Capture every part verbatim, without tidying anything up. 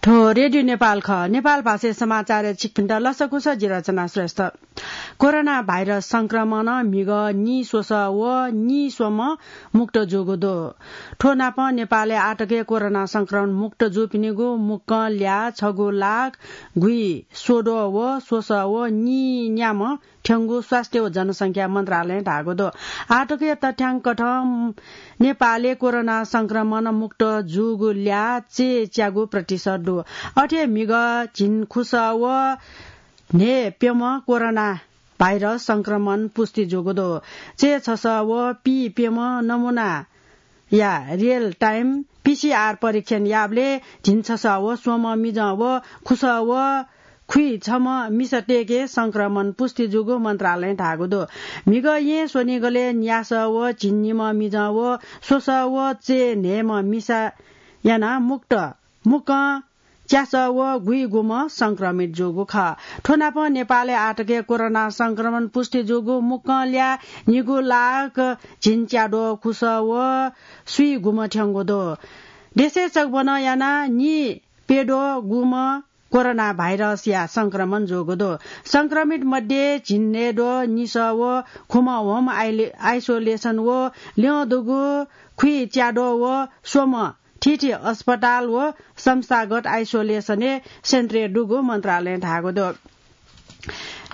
थ्व रेडियो नेपाल खः। नेपाल भाषाय् समाचार छिकपिन्त लसकुस, जि रचना श्रेष्ठ। कोरोना भाइरस संक्रमणं म्हिगः नीस्वसः व नीस्वम्ह मुक्त जूगु दु। थ्व नापं नेपालय् आःतक कोरोना संक्रमण मुक्त जूपिनिगु मुक्कं ल्याः छगू लाख गुइस्वद्वः व स्वसः व नीन्याम्ह थ्यंगु स्वास्थ्य व जनसंख्या मन्त्रालयं धाःगु दु। आःतकया तथ्याङ्क थें नेपालय् कोरोना संक्रमण मुक्त जूगु ल्याः चय्च्यागू प्रतिशत दु। अथे म्हिगः झिंखुसः व न्हय्प्यम्ह कोरोना भाइरस संक्रमण पुष्टि जूगु दु। चय्छसः व पीप्यम्ह नमूना या real time पीसीआर परीक्षण याःबलय् झिंछसः व स्वम्ह मिजं व खुसः व खुइछम्ह मिसातय्के संक्रमण पुष्टि जूगु मन्त्रालयं धाःगु दु। म्हिगः येँ स्वनिगलय् न्यासः व झिंनिम्ह मिजं व स्वसः व चय्न्हय्म्ह मिसा यानाः मुक्त मुक्कं च्यासः व गुइगुम्ह संक्रमित जूगु खः। थ्व नापं नेपालय् आःतक कोरोना संक्रमण पुष्टि जूगु मुक्कं ल्याः निगू लाख झिंच्याद्वः खुसः व स्वीगुम्ह थ्यंगु दु। देशय् चकबनं यानाः नीप्यद्वःगुम्ह कोरोना भाइरसया संक्रमण जूगु दु। संक्रमित मध्ये झिंन्हय्द्वः निसः व खुम्ह home आइले-, isolation व ल्यं दुगु खुइच्याद्वः व स्वम्ह थीथी अस्पताल व संस्थागत आइसोलेसनय् सेन्टरय् दुगु मन्त्रालयं धाःगु दु।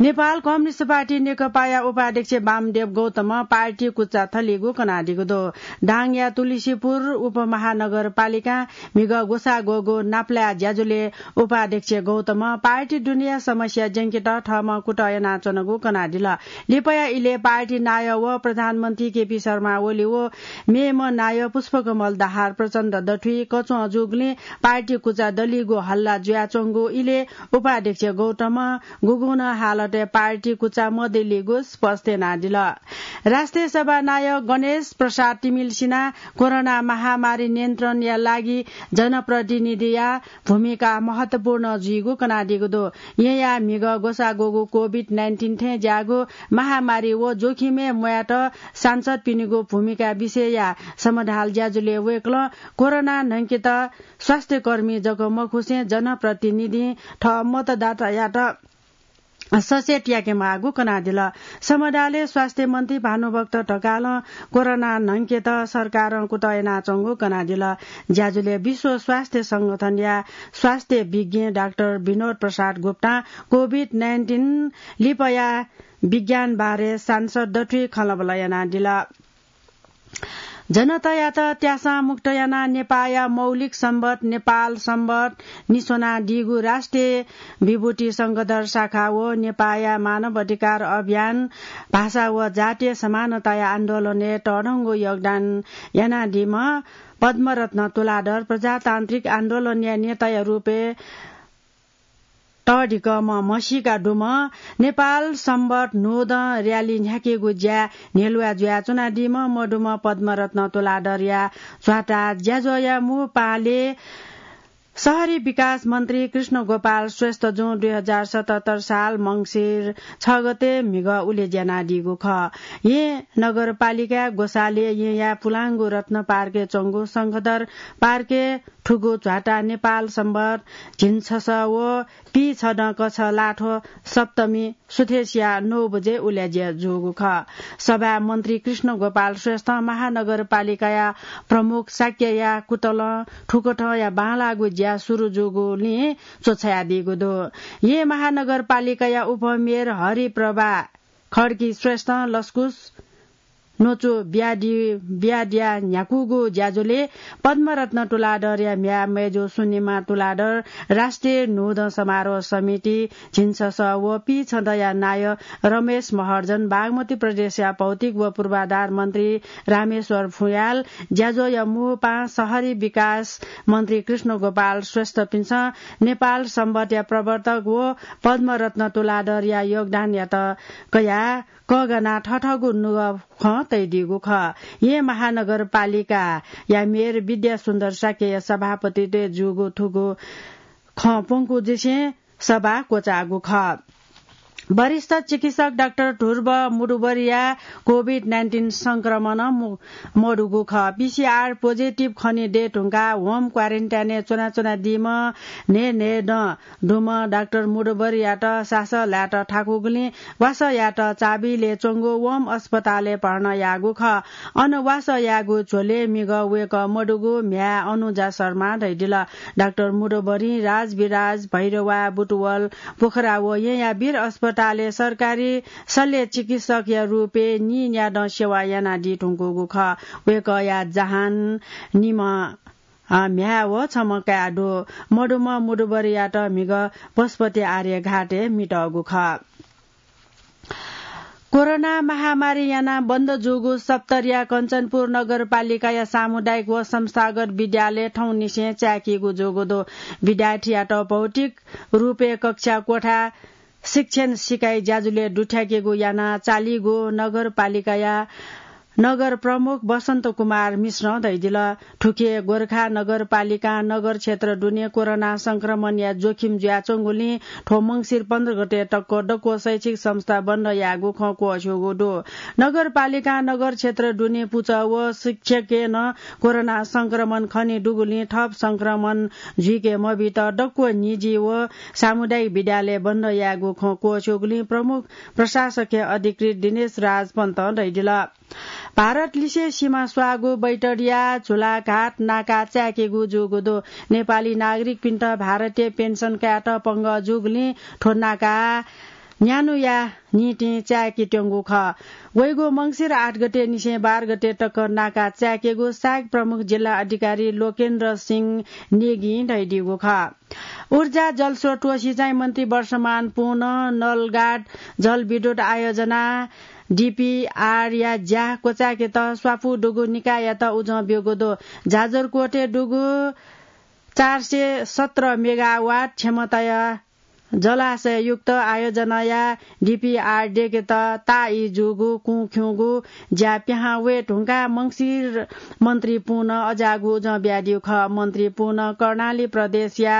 नेपाल कम्युनिस्ट पार्टी नेकपाया उपाध्यक्ष वामदेव गौतमं पार्टी कुचा थलीगु कनादीगु दु। दाङया तुलसीपुर उपमहानगरपालिकां म्हिगः ग्वसाः ग्वःगु नापलाये ज्याझ्वलय् उपाध्यक्ष गौतमं पार्टी दुनेया समस्या ज्यंकेत थःम्हं कुतः यानाच्वनागु कनादिल। लिपाया इलय् पार्टी नायः व प्रधानमन्त्री केपी शर्मा ओली व मेम्ह नायः पुष्पकमल दाहाल प्रचण्ड दथुइ कच्वं जूगुलिं पार्टी कुचा दलीगु हल्ला जुयाच्वंगु इलय् उपाध्यक्ष गौतमं गुगुं नं हालतय् पार्टी कुचा मदलीगु स्पष्ट यानादिल। राष्ट्रिय सभा नायः गणेश प्रसाद तिमिल्सिनां कोरोना महामारी नियन्त्रणया लागि जनप्रतिनिधिया भूमिका महत्वपूर्ण जुइगु कनादीगु दु। येँया म्हिगः ग्वसाः ग्वःगु कोभिड नाइन्टिन थें ज्याःगु महामारी व जोखिमय् म्वायेत सांसदपिनिगु भूमिका विषयया समाधान ज्याझ्वलय् वय्कलं कोरोना न्हंकेत स्वास्थ्यकर्मी जक मखुसें जनप्रतिनिधिं थः मतदातायात सचेत याकेमाःगु कनादिल। समाधानय् स्वास्थ्य मन्त्री भानुभक्त ढकालं कोरोना न्हंकेत सरकारं कुतः यानाच्वंगु कनादिल। ज्याझ्वलय् विश्व स्वास्थ्य संगठनया स्वास्थ्य विज्ञ डाक्टर विनोद प्रसाद गुप्तां कोभिड नाइन्टिन लिपाया विज्ञान बारे सांसद दथुइ खँल्हाबल्हा यानादिल। जनतायात त्यासं मुक्त यानाः नेपाःया मौलिक संवत् नेपाल संवत् निस्वनादीगु राष्ट्रिय विभूति शंखधर शाखा व नेपाःया मानव अधिकार अभियान, भाषा व जातीय समानताया आन्दोलनय् तःधंगु योगदान यानादीम्ह पद्मरत्न तुलाधर प्रजातान्त्रिक आन्दोलनया नेताया रूपय् तःधिकःम्ह म्हसीका दुम्ह नेपाल संवत् न्हूदँ र्‍याली न्ह्याकेगु ज्याय् न्ह्यलुवा जुयाच्वनादीम्ह मदुम्ह पद्मरत्न तुलाधरया झ्वाता ज्याझ्वःया मू पालय् शहरी विकास मन्त्री कृष्ण गोपाल श्रेष्ठजुं दुई हजार सतहत्तर साल मंसिर छ गते म्हिगः उलेज्या यानादीगु खः। येँ नगरपालिकाय् ग्वसालय् येँया पुलांगु रत्न पार्कय् च्वंगु शंखधर पार्कय् थुगु झ्वाता नेपाल संवत् झिंछसः व पीछदँ कछलाथ्व सप्तमी सुथसिया नौ बजे उलेज्या जूगु खः। सभाय् मन्त्री कृष्ण गोपाल श्रेष्ठं महानगरपालिकाया प्रमुख शाक्यया कुतलं थुकथंया बांलाःगु ज्या सुरु जूगुलिं च्वछायादीगु दु। येँ महानगरपालिकाया उपमेयर हरिप्रभा खड्गी श्रेष्ठं लसकुस न्वचु बियादी, बियादिया न्ह्याकूगु ज्याझ्वलय् पद्मरत्न तुलाधरया म्ह्याय् मय्जु सुनिमा तुलाधर, राष्ट्रिय न्हूदँ समारोह समिति झिंछसः व पीछदँया नायः रमेश महर्जन, बागमती प्रदेशया भौतिक व पूर्वाधार मन्त्री रामेश्वर फुयाल, ज्याझ्वःया मू पाहां शहरी विकास मन्त्री कृष्ण गोपाल श्रेष्ठपिन्सं नेपाल संवत्‌या प्रवर्तक व पद्मरत्न तुलाधरया योगदानयात कयाः कःघानाः थथःगु नुगः खँ तयादीगु खः। येँ महानगरपालिकाया मेयर विद्यासुन्दर शाक्यया सभापतित्वय् जूगु थुगु खँ प्वंकूदिसें सभा क्वचाःगु खः। वरिष्ठ चिकित्सक डाक्टर ध्रुव मुडुबरिया कोभिड नाइन्टिन संक्रमण मु-, मदुगु खः। पीसीआर पोजिटिभ खने दये धुंकाः होम क्वारेन्टाइनय् च्वनाच्वनादीम्ह न्हय्न्हय्दँ दुम्ह डाक्टर मुडुबरियात सासः लायेत थाकूगुलिं वासः यायेत चाबहिलय् च्वंगु होम अस्पतालय् भर्ना याःगु खः। अन वासः याःगु झ्वलय् म्हिगः वय्कः मदुगु म्ह्याय् अनुजा शर्मां धयादिल। डाक्टर मुडुबरिं राजविराज, भैरवा, बुटवल, पोखरा व येँयाबीर अस्पतालय् सरकारी शल्य चिकित्सकया रूपय् नीन्यादँ सेवा यानादी धुंकूगु खः। वय्कःया जहान, निम्ह, अ, म्ह्याय् व छम्ह काय् दु। मदुम्ह मुडुबरियात म्हिगः पशुपति आर्यघाटय् मितःगु खः। कोरोना महामारी यानाः बन्द जूगु सप्तरीया कञ्चनपुर नगरपालिकाया सामुदायिक व संस्थागत विद्यालय थौंनिसें चाय्‌कीगु जूगु दु। विद्यार्थीयात भौतिक रूपय् कक्षा कोठा शिक्षण सिकाइ ज्याझ्वलय् दुथ्याकेगु यानाः चालीगु नगरपालिकाया नगर प्रमुख बसन्त कुमार मिश्रं धयादिल। थुखे गोरखा नगरपालिकां नगर क्षेत्र दुने कोरोना संक्रमणया जोखिम जुयाच्वंगुलिं थ्व मंसिर पन्ध्र गते तक दक्व शैक्षिक संस्था बन्द यायेगु खँ क्वःछ्यूगु दु। नगरपालिकां नगर क्षेत्र दुने पुचः व शिक्षकय् नं कोरोना संक्रमण खने दुगुलिं थप संक्रमण जुइके मबीत दक्व निजी व सामुदायिक विद्यालय बन्द यायेगु खँ क्वःछ्यूगुलिं प्रमुख प्रशासकीय अधिकृत दिनेश राज पन्तं धयादिल। भारत लिसे सिमा स्वाःगु बैतडिया झुलाघाट नाका चाय्‌केगु जूगु दु। नेपाली नागरिकपिन्त भारतीय पेन्सन कायेत पंगः जूगुलिं थ्व नाका न्यान्हुया निंतिं चाय्‌केत्यंगु खः। वइगु मंसिर आठ गते निसें बाह्र गते तक नाका चाय्‌केगु सायक प्रमुख जिल्ला अधिकारी लोकेन्द्र सिंह नेगीं धयादीगु खः। ऊर्जा, जलस्रोत व सिँचाइ मन्त्री वर्षमान पुनं नलगाड जलविद्युत आयोजना, डीपीआर या ज्या क्वचाय्‌केत स्वापू दुगु निकाययात उजं ब्यूगु दु। जाजरकोटय् दुगु चार सय सत्र मेगावाट क्षमताया जलाशययुक्त आयोजनाया डीपीआर दय्‌केत ताःई जूगु कुँ खिउँगु ज्या पिहां वये धुंकाः मंसिर मन्त्री पुनं अज्याःगु उजं बियादीगु खः। मन्त्री पुनं कर्णाली प्रदेशया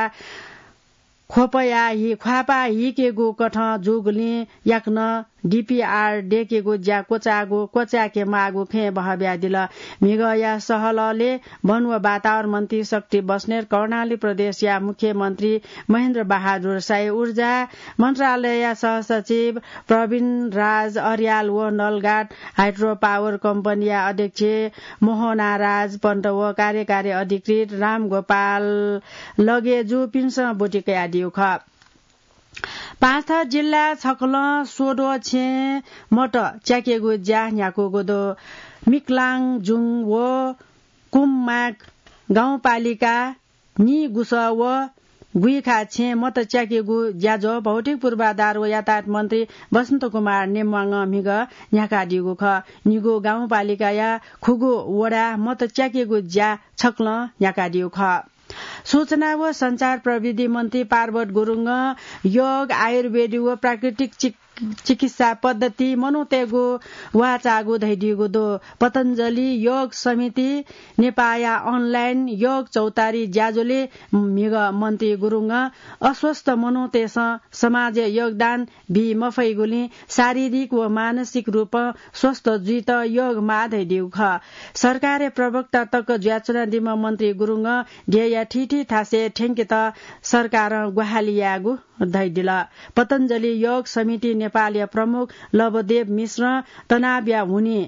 ख्वपया हि, ख्वापा हिकेगु कथं जूगुलिं याकनं डीपीआर दय्‌केगु ज्या क्वचाःगु, क्वचाय्‌के माःगु खँय् बहः बियादिल। म्हिगःया सहलहलय् वन व वातावरण मन्त्री शक्ति बस्नेत, कर्णाली प्रदेशया मुख्यमन्त्री महेन्द्र बहादुर शाही, ऊर्जा मन्त्रालयया सहसचिव प्रवीण राज अर्याल व नलगाड हाइड्रो पावर कम्पनीया अध्यक्ष मोहना राज पन्त व कार्यकारी अधिकृत रामगोपाल लगेजुपिन्सं ब्वति कयादीगु खः। पाँचथर जिल्ला छकलं स्वद्वः छेँ मत च्याकेगु ज्या न्ह्याकूगु दु। मिक्लाङजुङ व कुम्माक गाउँपालिका निगुसः व गुइखा छेँ मत च्याकेगु ज्याझ्वः भौतिक पूर्वाधार व यातायात मन्त्री बसन्त कुमार नेम्वाङं म्हिगः न्ह्याकादीगु खः। निगू गाउँपालिकाया खुगू वडा मत च्याकेगु ज्या छकलं न्ह्याकादीगु खः। सूचना व सञ्चार प्रविधि मन्त्री पार्वत गुरुङं योग, आयुर्वेदी व प्राकृतिक चिक-, चिकित्सा पद्धति मनूतय्‌गु वाःचाःगु धयादीगु दु। पतञ्जलि योग समिति नेपाःया अनलाइन योग चौतारी ज्याझ्वलय् म्हिगः मन्त्री गुरुङं अस्वस्थ मनूतय्‌सं समाजय् योगदान बी मफइगुलिं शारीरिक व मानसिक रूपं स्वस्थ जुइत योग माः धयादीगु खः। सरकारया प्रवक्ता तक जुयाच्वनादीम्ह मन्त्री गुरुङं देय्‌या थीथी थासय् थ्यंकेत सरकारं ग्वाहालि यायेगु धयादिल। पतञ्जलि योग समिति नेपालया प्रमुख लवदेव मिश्रं तनावया हुनिं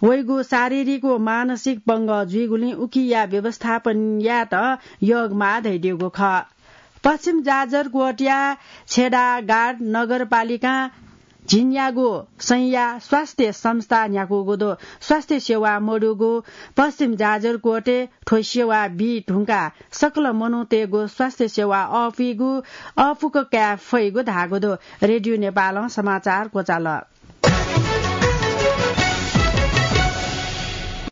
वइगु शारीरिक व मानसिक पंगः जुइगुलिं उकिया व्यवस्थापन यायेत योग माः धयादीगु खः। पश्चिम जाजरकोटया छेदाघाट नगरपालिकां झिंन्यागू संया स्वास्थ्य संस्था न्ह्याकूगु दु। स्वास्थ्य सेवा मदुगु पश्चिम जाजरकोटय् थ्व सेवा बी धुंकाः सकल मनूतय्‌गु स्वास्थ्य सेवा अःपुइगु, अःपुक काये फइगु धाःगु दु। रेडियो नेपालं समाचार क्वचाल।